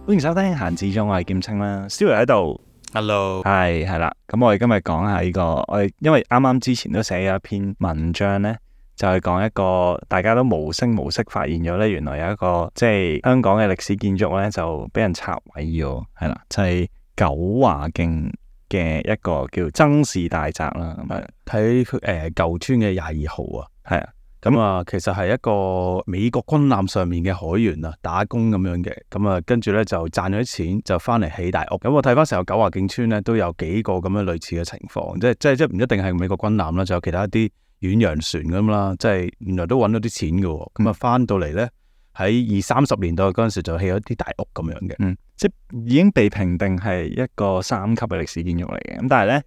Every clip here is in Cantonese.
歡迎收聽閒置中，我係劍青啦，Stuart 喺度 ，Hello，係啦。咁我哋今日講下呢個，我哋因為啱啱之前都寫咗一篇文章咧，就係講一個大家都無聲無息發現咗咧，原來有一個即係香港嘅歷史建築咧，就俾人拆毀咗，係啦，就係九華徑嘅一個叫曾氏大宅啦。咁啊，睇舊村嘅22號啊，係啊。咁啊，其實係一個美國軍艦上面嘅海員啊，打工咁樣嘅，咁啊，跟住咧就賺咗啲錢，就翻嚟起大屋。咁我睇翻成個九華徑村咧，都有幾個咁樣類似嘅情況，即唔一定係美國軍艦啦，就有其他一啲遠洋船咁啦，即係原來都揾到啲錢嘅。咁啊，翻到嚟咧喺20-30年代嗰陣時就起咗啲大屋咁樣嘅，即係已經被評定係一個3級嘅歷史建築嚟嘅。咁但係咧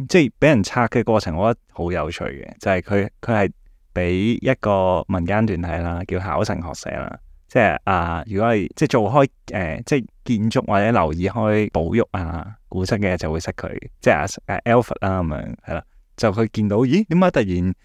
即係俾人拆嘅過程，我覺得好有趣嘅，就係佢係俾一個民間團體啦，叫考成學社啦，即係如果係即係做開即係建築或者留意開保育古蹟嘅，就會識佢，即係Alfred 啦咁樣，係啦，就佢見到咦點解突然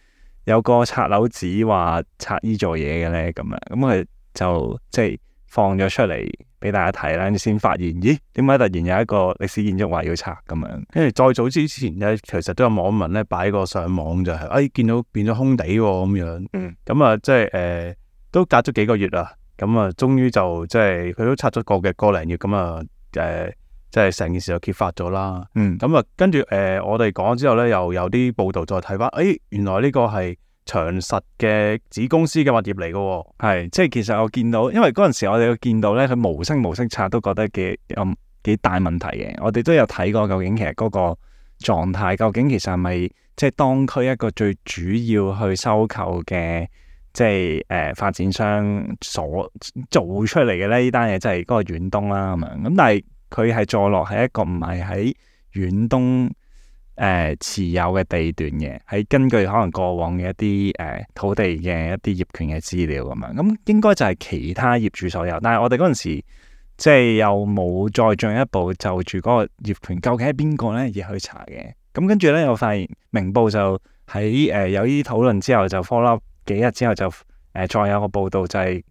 有個拆樓紙話拆呢座嘢嘅咧咁樣，咁佢就即係放咗出嚟俾大家睇啦，先發現咦點解突然有一個歷史建築話要拆咁樣。跟住再早之前咧，其實都有網民咧擺個上網就係見到變咗空地喎咁樣，咁啊即係都隔咗幾個月啦，咁啊終於就即係佢都拆咗個零月，咁啊即係成件事就揭發咗啦。咁啊跟住我哋講之後咧，又有啲報道再睇翻，原來呢個係長實嘅子公司嘅物業嚟嘅喎。係即係其實我見到，因為嗰陣時我哋見到咧，佢無聲無息拆都覺得幾大問題嘅。我哋都有睇過究竟其實嗰個狀態，究竟其實係咪即係當區一個最主要去收購嘅即係發展商所做出嚟嘅咧？呢單嘢即係嗰個遠東啦咁樣。咁但係佢係坐落喺一個唔係喺遠東持有嘅地段嘅，係根據可能過往嘅一啲土地嘅一啲業權嘅資料咁樣，咁應該就係其他業主所有。但係我哋嗰陣時即係又冇再進一步就住嗰個業權究竟係邊個咧而去查嘅。咁跟住咧，我發現明報就喺有呢啲討論之後，就 follow up 幾日之後就再有個報道，就係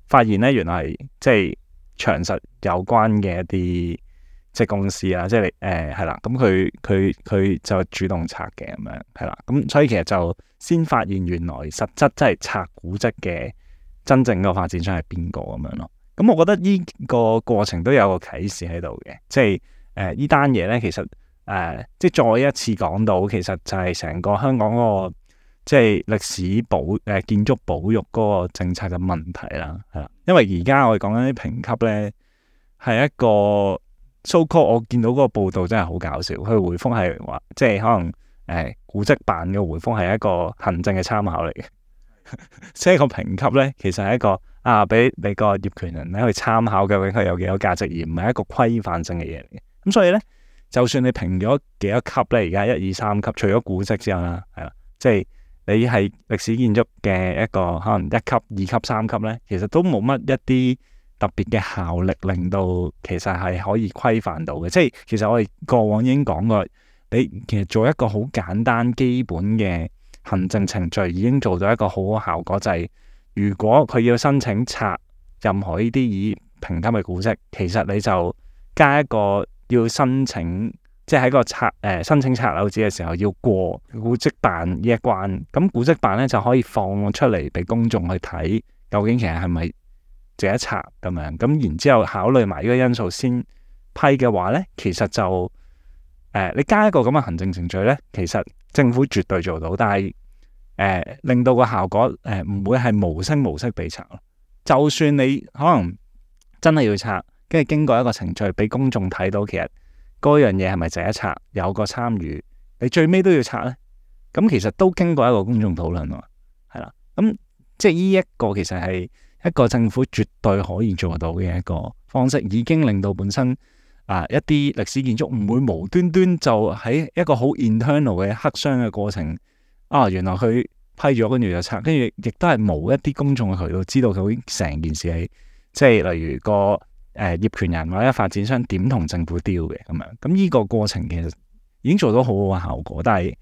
發現咧原來係即係長實有關嘅一啲即係公司啦，即係係啦，咁佢就主動拆嘅咁樣，係啦，咁所以其實就先發現原來實質即係拆古蹟嘅真正個發展商係邊個咁樣咯。咁我覺得呢個過程都有個啟示喺度嘅，即係呢單嘢咧，其實即係再一次講到，其實就係成個香港嗰個即係歷史建築保育嗰個政策嘅問題啦，係啦，因為而家我哋講緊啲評級咧係一個。So call 我見到嗰個報道真係好搞笑，佢回覆係話，即係可能古蹟辦嘅回覆係一個行政嘅參考嚟嘅，即係個評級咧，其實係一個俾你個業權人咧去參考究竟佢有幾多價值，而唔係一個規範性嘅嘢嚟嘅。咁所以咧，就算你評咗幾多級咧，而家1、2、3級，除咗古蹟之後啦，係啦，即係你係歷史建築嘅一個可能1級、2級、3級咧，其實都冇乜一啲特別嘅效力，令到其實係可以規範到嘅。即係其實我哋過往已經講過，你其實做一個好簡單基本嘅行政程序，已經做到一個好好效果。就係如果佢要申請拆任何呢啲已評級嘅古蹟，其實你就加一個要申請，即係喺個申請拆樓紙嘅時候要過古蹟辦呢一關。咁古蹟辦咧就可以放出嚟俾公眾去睇，究竟其實係咪值得拆咁樣，咁然之後考慮埋呢個因素先批嘅話咧，其實就你加一個咁嘅行政程序咧，其實政府絕對做到，但係令到個效果唔會係無聲無息被拆咯。就算你可能真係要拆，跟住經過一個程序俾公眾睇到，其實嗰樣嘢係咪值得拆，有個參與，你最尾都要拆咧，咁其實都經過一個公眾討論喎，係啦，咁即係呢一個其實係一個政府絕對可以做到嘅一個方式，已經令到本身一啲歷史建築唔會無端端就喺一個好 internal 嘅黑箱嘅過程，原來佢批咗跟住就拆，跟住亦都係冇一啲公眾嘅渠道知道佢成件事係即係例如個業權人或者發展商點同政府 deal 嘅咁樣，咁呢個過程其實已經做到好好嘅效果，但係一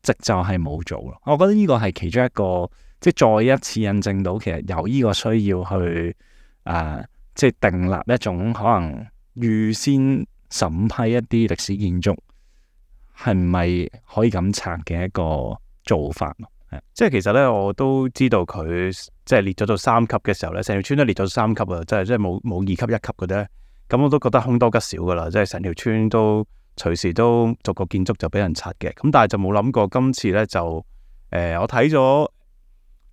直就係冇做咯。我覺得呢個係其中一個。即係再一次印證到，其實有呢個需要去即係訂立一種可能預先審批一啲歷史建築係咪可以咁拆嘅一個做法咯？即係其實咧，我都知道佢即係列咗到3級嘅時候咧，成條村都列咗3級啊，即係冇2級1級嘅啫。咁我都覺得凶多吉少噶啦，即係成條村都隨時都逐個建築就俾人拆嘅。咁但係就冇諗過今次咧就我睇咗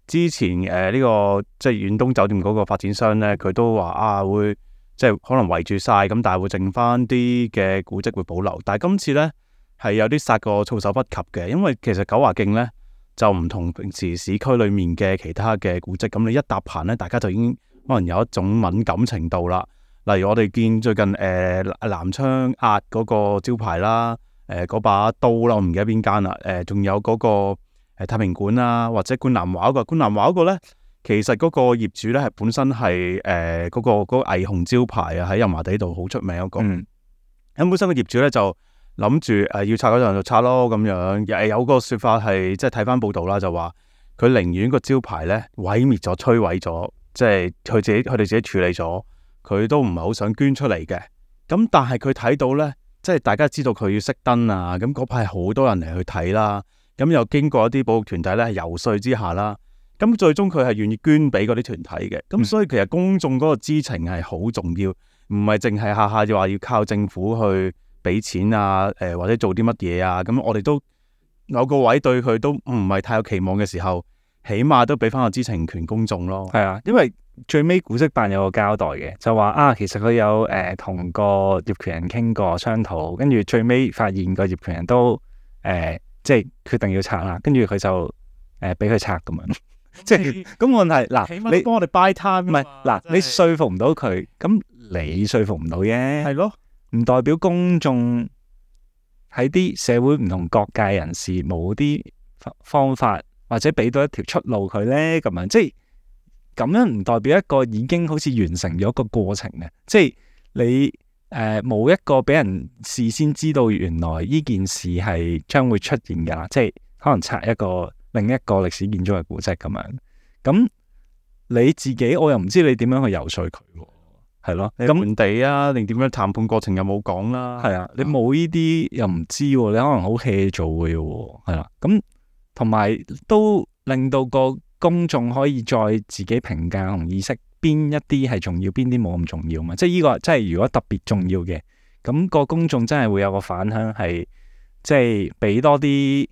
之前呢個即係遠東酒店嗰個發展商咧，佢都話會即係可能圍住晒咁，但係會剩翻啲嘅古蹟會保留。但係今次咧係有啲殺個措手不及嘅，因為其實九華徑咧就唔同平時市區裏面嘅其他嘅古蹟，咁你一搭棚咧，大家就已經可能有一種敏感程度啦。例如我哋見最近南昌押嗰個招牌啦，嗰把刀啦，我唔記得邊間啦，仲有嗰個太平館啦，或者觀南華嗰個，觀南華嗰個咧，其實嗰個業主咧係本身係嗰個霓虹招牌啊，喺油麻地度好出名嗰個。咁本身個業主咧就諗住要拆嗰陣就拆咯咁樣，有個說法係即係睇翻報道啦，就話佢寧願個招牌咧毀滅咗、摧毀咗，即係佢哋自己處理咗。佢都唔係好想捐出嚟嘅，咁但係佢睇到呢，即係大家知道佢要熄燈啊，咁嗰排好多人嚟去睇啦，咁又經過一啲保育團體呢遊說之下啦，咁最終佢係願意捐俾嗰啲團體嘅，咁所以其實公眾嗰個知情係好重要，唔係淨係下下就話要靠政府去俾錢啊，或者做啲乜嘢啊，咁我哋都有個位對佢都唔係太有期望嘅時候，起碼都俾翻個知情權公眾咯。係啊，因為最尾古蹟辦有個交代嘅，就話其實佢有同個業權人傾過商討，跟住最尾發現個業權人都即係決定要拆啦，跟住佢就俾佢拆咁樣。即係咁問題嗱，你幫我哋 buy time 唔係嗱，你說服唔到佢，咁你說服唔到啫，係咯，唔代表公眾喺啲社會唔同各界人士冇啲方法或者俾到一條出路佢咧，咁樣即係。咁樣唔代表一個已經好似完成咗個過程嘅，即係你冇一個俾人事先知道原來呢件事係將會出現㗎啦，即係可能拆另一個歷史建築嘅古蹟咁樣。咁你自己我又唔知你點樣去游說佢喎，係咯？咁本地啊，定點樣談判過程又冇講啦。係啊，你冇呢啲又唔知喎，你可能好 hea 做嘅喎，係啦。咁同埋都令到個公眾可以再自己評價同意識邊一啲係重要，邊啲冇咁重要嘛？即係呢個，即係如果特別重要嘅，咁個公眾真係會有個反響，係即係俾多啲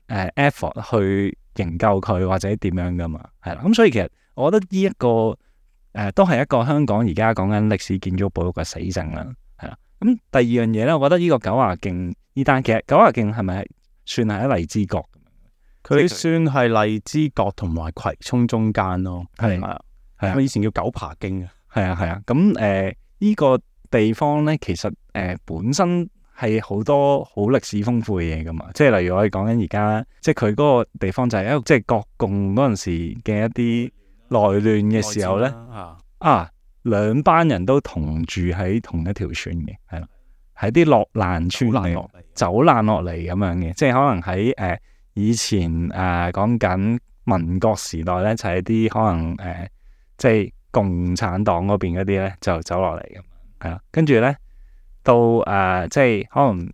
effort 去研究佢或者點樣噶嘛？係啦，咁所以其實我覺得呢一個都係一個香港而家講緊歷史建築保育嘅死症啦，係啦。咁第二樣嘢咧，我覺得呢個九華徑呢單，其實九華徑係咪算係喺荔枝角？佢算係荔枝角同埋葵涌中間咯，係啊，係啊，以前叫九爬徑啊，係啊，係啊。咁呢個地方咧，其實本身係好多好歷史豐富嘅嘢噶嘛，即係例如我哋講緊而家，即係佢嗰個地方就係一個即係國共嗰陣時嘅一啲內亂嘅時候咧，兩班人都同住喺同一條村嘅，係啦，喺啲落難村嚟，走難落嚟咁樣嘅，即係可能喺以前講緊民國時代咧，就係啲可能即係共產黨嗰邊嗰啲咧，就走落嚟咁，係啦。跟住咧到即係可能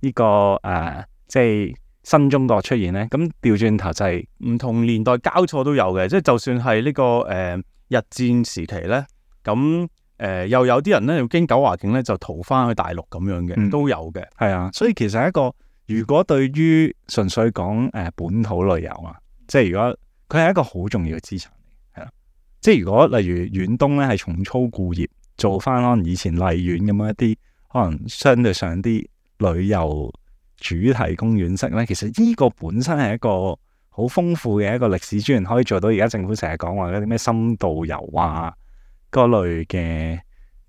呢個即係新中國出現咧，咁調轉頭就係唔同年代交錯都有嘅，即係就算係呢個日戰時期咧，咁又有啲人咧要經九華徑咧就逃翻去大陸咁樣嘅，都有嘅，係啊。所以其實係一個。如果對於純粹講本土旅遊啊，即係如果佢係一個好重要嘅資產嚟，係啦。即係如果例如遠東咧係重操故業，做翻可能以前荔園咁樣一啲可能相對上啲旅遊主題公園式咧，其實呢個本身係一個好豐富嘅一個歷史資源，可以做到而家政府成日講話嗰啲咩深度遊啊嗰類嘅，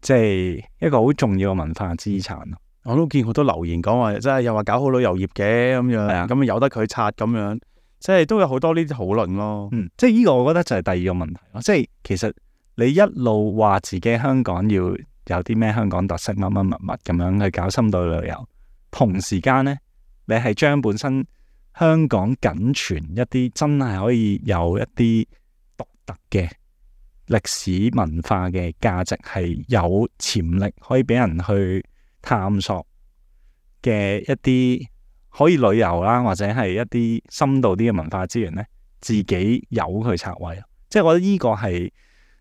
即係一個好重要嘅文化資產咯。我都見好多留言講話，即係又話搞好旅遊業嘅咁樣，咁由得佢拆咁樣，即係都有好多呢啲討論咯。即係呢個我覺得就係第二個問題咯。即係其實你一路話自己香港要有啲咩香港特色乜乜物咁樣去搞深度旅遊，同時間呢，你係將本身香港僅存一啲真係可以有一啲獨特嘅歷史文化嘅價值係有潛力可以俾人去探索嘅一啲可以旅遊啦，或者係一啲深度啲嘅文化資源咧，自己有佢拆位。即係我覺得呢個係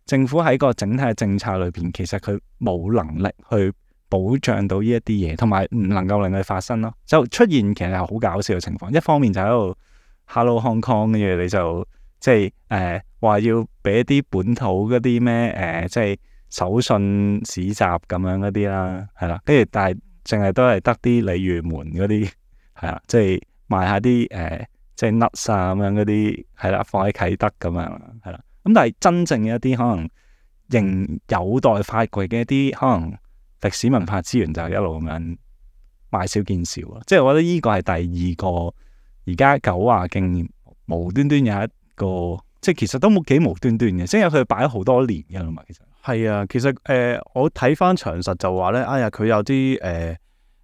政府喺個整體嘅政策裏邊，其實佢冇能力去保障到呢一啲嘢，同埋唔能夠令佢發生咯。就出現其實係好搞笑嘅情況，一方面就喺度 Hello Hong Kong 嘅嘢，你就即係話要俾一啲本土嗰啲咩即係手信市集咁樣嗰啲啦，係啦，跟住但係淨係都係得啲鯉魚門嗰啲係啦，即係賣下啲即係 nuts 啊咁樣嗰啲係啦，放喺啟德咁樣係啦。咁但係真正嘅一啲可能仍有待發掘嘅一啲可能歷史文化資源，就一路咁樣買少見少咯。即係我覺得呢個係第二個而家九華徑無端端有一個，即係其實都冇幾無端端嘅，即係佢擺咗好多年嘅啦嘛。其實係啊，其實我睇翻詳實就話咧，哎呀佢有啲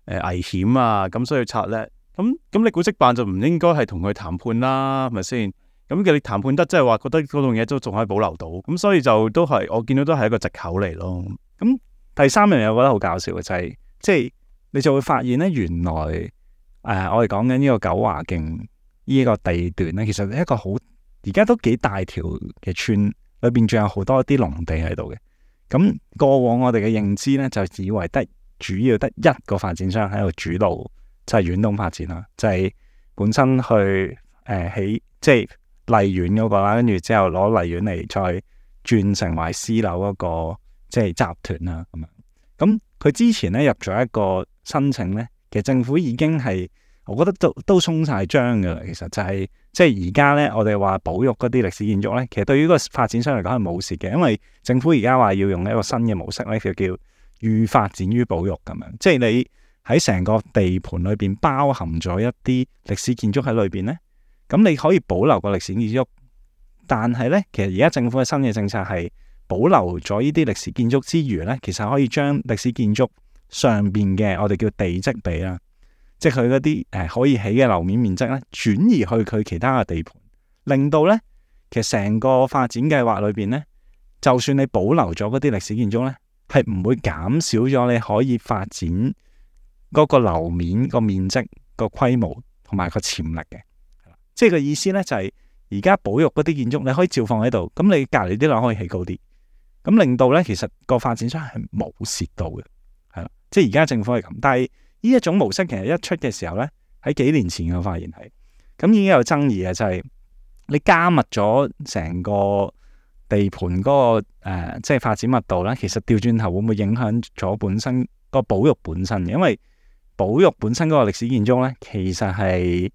危險啊，咁所以拆咧。咁你古蹟辦就唔應該係同佢談判啦，係咪先？咁你談判得，即係話覺得嗰棟嘢都仲可以保留到，咁所以就都係我見到都係一個藉口嚟咯。咁第三樣嘢我覺得好搞笑嘅就係，即係你就會發現咧，原來我哋講緊呢個九華徑呢個地段咧，其實係一個好而家都幾大條嘅村，裏邊仲有好多啲農地喺度嘅。咁過往我哋嘅認知咧，就以為主要得一個發展商喺度主導，就係遠東發展啦，就係本身去起即係荔園嗰個啦，跟住之後攞荔園嚟再轉成為私樓嗰個即係集團啦咁樣。咁佢之前咧入咗一個申請咧，其實政府已經係我覺得都鬆晒章噶啦。其實就係即係而家咧，我哋話保育嗰啲歷史建築咧，其實對於個發展商嚟講係冇事嘅，因為政府而家話要用一個新嘅模式咧，就叫預發展於保育咁樣，即係你喺成個地盤裏邊包含咗一啲歷史建築喺裏邊咧，咁你可以保留個歷史建築，但係咧，其實而家政府嘅新嘅政策係保留咗呢啲歷史建築之餘咧，其實可以將歷史建築上邊嘅我哋叫地積比啦，即係佢嗰啲可以起嘅樓面面積咧，轉移去佢其他嘅地盤，令到咧其實成個發展計劃裏邊咧，就算你保留咗嗰啲歷史建築咧，係唔會減少咗你可以發展嗰個樓面個面積個規模同埋個潛力嘅。即係個意思咧就係而家保育嗰啲建築你可以照放喺度，咁你隔籬啲樓可以起高啲，咁令到咧其實個發展商係冇蝕到嘅，係啦。即係而家政府係咁，但係呢一種模式其實一出嘅時候咧，喺幾年前我發現係咁已經有爭議嘅，就係你加密咗成個地盤嗰個即係發展密度咧，其實調轉頭會唔會影響咗本身個保育本身嘅？因為保育本身嗰個歷史建築咧，其實係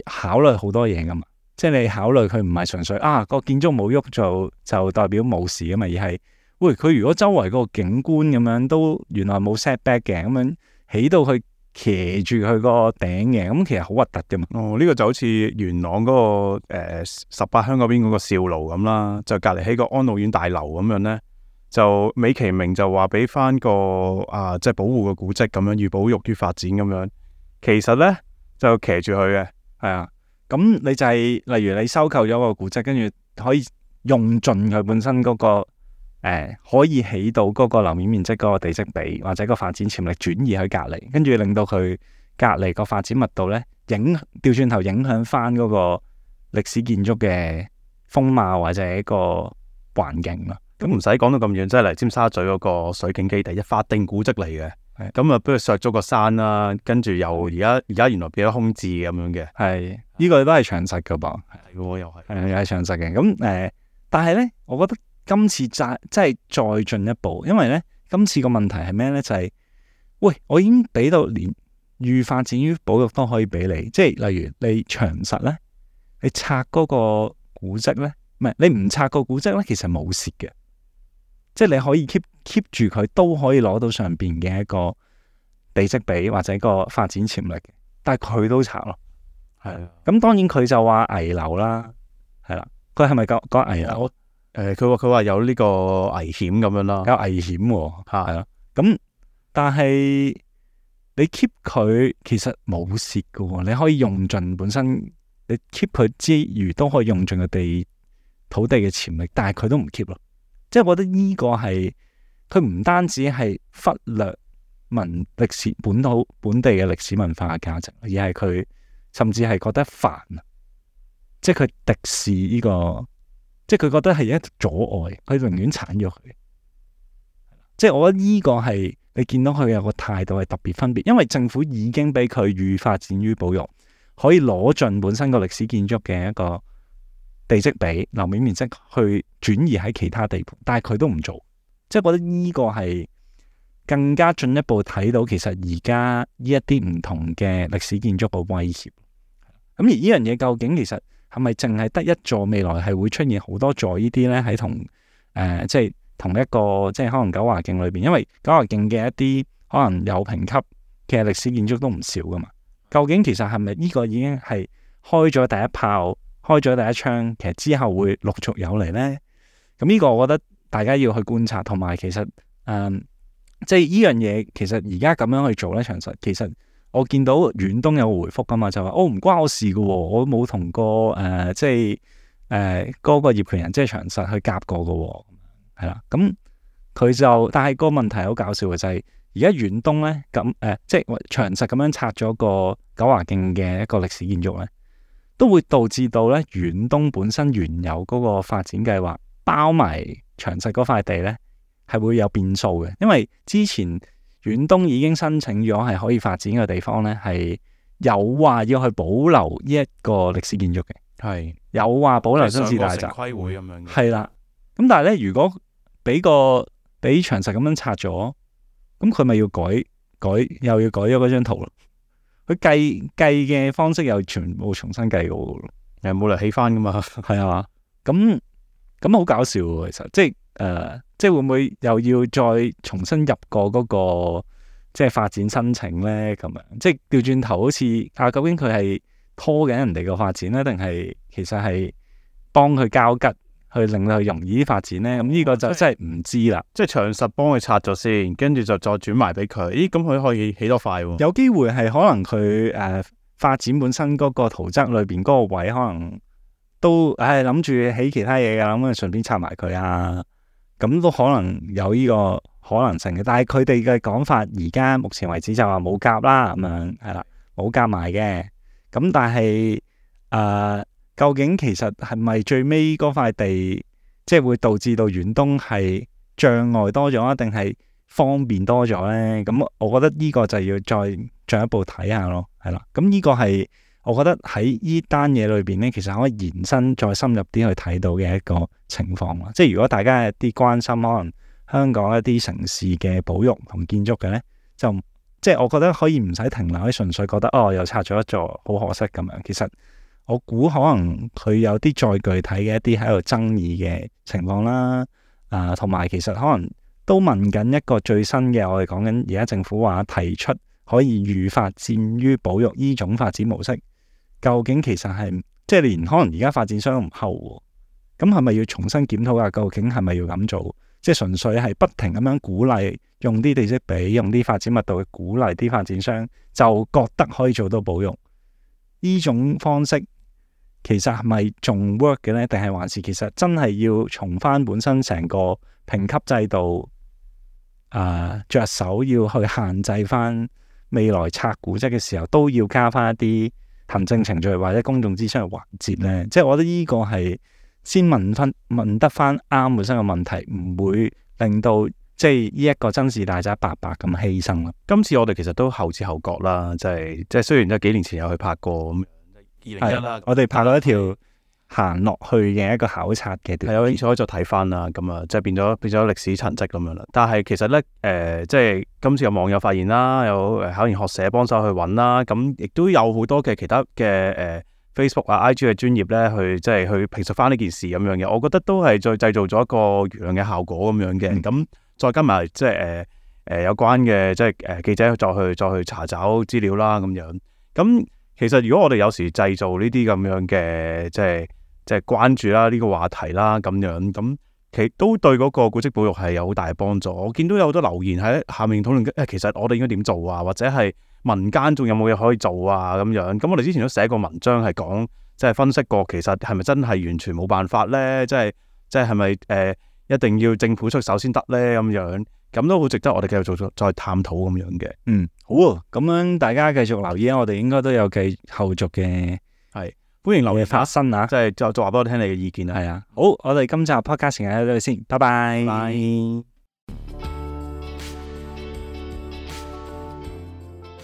考慮好多嘢噶嘛，即係你考慮佢唔係純粹個建築冇喐就代表冇事噶嘛，而係喂佢如果周圍嗰個景觀咁樣都原來冇 setback 嘅，咁樣起到佢騎住佢個頂嘅，咁其實好核突噶嘛。呢個就好似元朗嗰個18鄉嗰邊嗰個兆爐咁啦，就隔籬起個安老院大樓咁樣咧，就美其名就話俾翻個即係保護個古蹟咁樣，寓保育於發展咁樣，其實咧就騎住佢嘅。係啊，咁你就係例如你收購咗個古蹟，跟住可以用盡佢本身嗰個可以起到嗰個樓面面積嗰個地積比或者個發展潛力轉移去隔離，跟住令到佢隔離個發展密度咧調轉頭影響翻嗰個歷史建築嘅風貌或者一個環境咯。咁唔使講到咁遠，即係嚟尖沙咀嗰個水景基地，一法定古蹟嚟嘅。咁啊，不如削咗個山啦，跟住又而家原來變咗空置咁樣嘅。係呢個都係詳實噶噃，係喎，又係又係詳實嘅。咁但係咧，我覺得今次即係再進一步，因為咧今次個問題係咩咧？就係喂，我已經俾到連預發展於保育都可以俾你，即係例如你詳實咧，你拆嗰個古蹟咧，唔係你唔拆個古蹟咧，其實冇蝕嘅。即係你可以 keep 住佢，都可以攞到上邊嘅一個地積比或者個發展潛力，但係佢都拆咯。係咁當然佢就話危樓啦，係啦，佢係咪講危樓？佢話有呢個危險咁樣啦，有危險喎，係咯。咁但係你 keep 佢其實冇蝕嘅喎，你可以用盡本身，你 keep 佢之餘都可以用盡個地土地嘅潛力，但係佢都唔 keep 咯。即係我覺得呢個係佢唔單止係忽略歷史本地嘅歷史文化嘅價值，而係佢甚至係覺得煩，即係佢敵視呢個，即係佢覺得係一個阻礙，佢寧願鏟咗佢。即係我覺得呢個係你見到佢有個態度係特別分別，因為政府已經俾佢寓發展於保育，可以攞盡本身個歷史建築嘅一個地積比、樓面面積去轉移喺其他地盤，但係佢都唔做。即係覺得呢個係更加進一步睇到，其實而家呢一啲唔同嘅歷史建築嘅威脅。咁而呢樣嘢究竟其實係咪淨係得一座？未來係會出現好多座呢啲呢？喺即係同一個即係可能九華徑裏邊，因為九華徑嘅一啲可能有評級嘅歷史建築都唔少噶嘛。究竟其實係咪呢個已經係開咗第一炮、開咗第一槍？其實之後會陸續有嚟呢？咁呢個我覺得大家要去觀察，同埋其實即係呢樣嘢，其實而家咁樣去做呢，長實其實我見到遠東有個回覆噶嘛，就話唔關我事嘅喎，我冇同過即係嗰個業權人即係長實去夾過嘅喎。係啦，咁佢就，但係個問題好搞笑嘅就係，而家遠東咧即係長實咁樣拆咗個九華徑嘅一個歷史建築咧，都會導致到咧遠東本身原有嗰個發展計劃包埋長實嗰塊地咧，係會有變數嘅。因為之前遠東已經申請咗係可以發展嘅地方咧，係有話要去保留呢一個歷史建築嘅，係有話保留新市大宅規會咁樣嘅，係啦。咁但係咧，如果俾長實咁樣拆咗，咁佢咪要改又要改咗嗰張圖咯？佢計嘅方式又全部重新計過咯，又冇嚟起翻噶嘛？係啊，咁好搞笑喎！其實即係會唔會又要再重新入過嗰個即係發展申請咧？咁樣即係調轉頭，好似究竟佢係拖緊人哋個發展咧，定係其實係幫佢交吉？去令到佢容易啲發展咧，咁呢個就真係唔知啦。即係長實幫佢拆咗先，跟住就再轉埋俾佢。咦，咁佢可以起多塊喎？有機會係可能佢發展本身嗰個圖則裏邊嗰個位，可能都諗住起其他嘢㗎，咁啊順便拆埋佢啊。咁都可能有呢個可能性嘅。但係佢哋嘅講法，而家目前為止就話冇夾啦，咁樣係啦，冇夾埋嘅。咁但係究竟其實係咪最尾嗰塊地，即係會導致到遠東係障礙多咗，定係方便多咗呢？咁我覺得呢個就要再進一步睇下咯，係啦。咁呢個係我覺得喺呢單嘢裏邊呢，其實可以延伸再深入啲去睇到嘅一個情況啦。即係如果大家有啲關心可能香港一啲城市嘅保育同建築嘅呢，就即係我覺得可以唔使停留喺純粹覺得又拆咗一座，好可惜咁樣。其實我估可能佢有啲再具體嘅一啲喺度爭議嘅情況啦，同埋其實可能都問緊一個最新嘅，我哋講緊而家政府話提出可以預發展於保育呢種發展模式，究竟其實係即係連可能而家發展商都唔後，咁係咪要重新檢討下？究竟係咪要咁做？即係純粹係不停咁樣鼓勵用啲地積比、用啲發展密度去鼓勵啲發展商，就覺得可以做到保育呢種方式？其實係咪仲 work 嘅呢？定係還是其實真係要從翻本身成個評級制度着手要去限制翻未來拆古蹟嘅時候，都要加翻一啲行政程序或者公眾諮詢嘅環節呢？即係我覺得呢個係先問得翻啱本身嘅問題，唔會令到即係呢一個真事大宅白白咁犧牲啦。今次我哋其實都後知後覺啦，即係雖然都幾年前有去拍過咁。2001啦，我哋拍咗一條行落去嘅一個考察嘅段，有興趣可以再睇翻啦。咁啊，即係變咗歷史塵跡咁樣啦。但係其實咧，即係今次有網友發現啦，有考研學社幫手去揾啦，咁亦都有好多嘅其他嘅Facebook 啊、IG 嘅專頁咧，去即係去評述翻呢件事咁樣嘅。我覺得都係再製造咗一個輿論嘅效果咁樣嘅。咁再加埋即係有關嘅即係記者再去查找資料啦咁樣。咁其實如果我哋有時製造呢啲咁樣嘅即係關注啦，呢個話題啦咁樣，咁其實都對嗰個古蹟保育係有好大嘅幫助。我見到有好多留言喺下面討論其實我哋應該點做啊，或者係民間仲有冇嘢可以做啊咁樣。咁我哋之前都寫過文章係講，即係分析過，其實係咪真係完全冇辦法咧？即係咪一定要政府出手先得咧？咁樣咁都好值得我哋繼續再探討咁樣嘅。好啊，咁樣大家繼續留意啊，我哋應該都有繼後續嘅係歡迎留意發生啊，即係再話俾我聽你嘅意見啊。係啊，好，我哋今集 podcast 時間喺度先，拜拜。拜。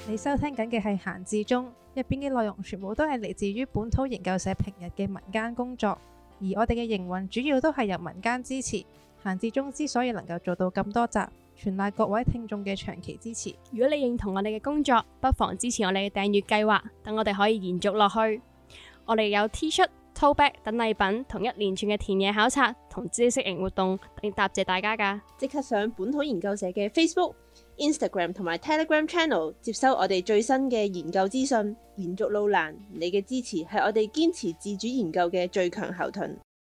你收聽緊嘅係閒置中，入邊嘅內容全部都係嚟自於本土研究社平日嘅民間工作，而我哋嘅營運主要都係由民間支持。閒置中之所以能夠做到咁多集，全賴各位聽眾嘅長期支持。如果你認同我哋嘅工作，不妨支持我哋嘅訂閱計劃，等我哋可以延續落去。我哋有 T 恤、tote bag 等禮品，同一連串嘅田野考察同知識型活動，嚟答謝大家㗎。即刻上本土研究社嘅 Facebook、Instagram 同埋 Telegram Channel 接收我哋最新嘅研究資訊。延續路難，你嘅支持係我哋堅持自主研究嘅最強後盾。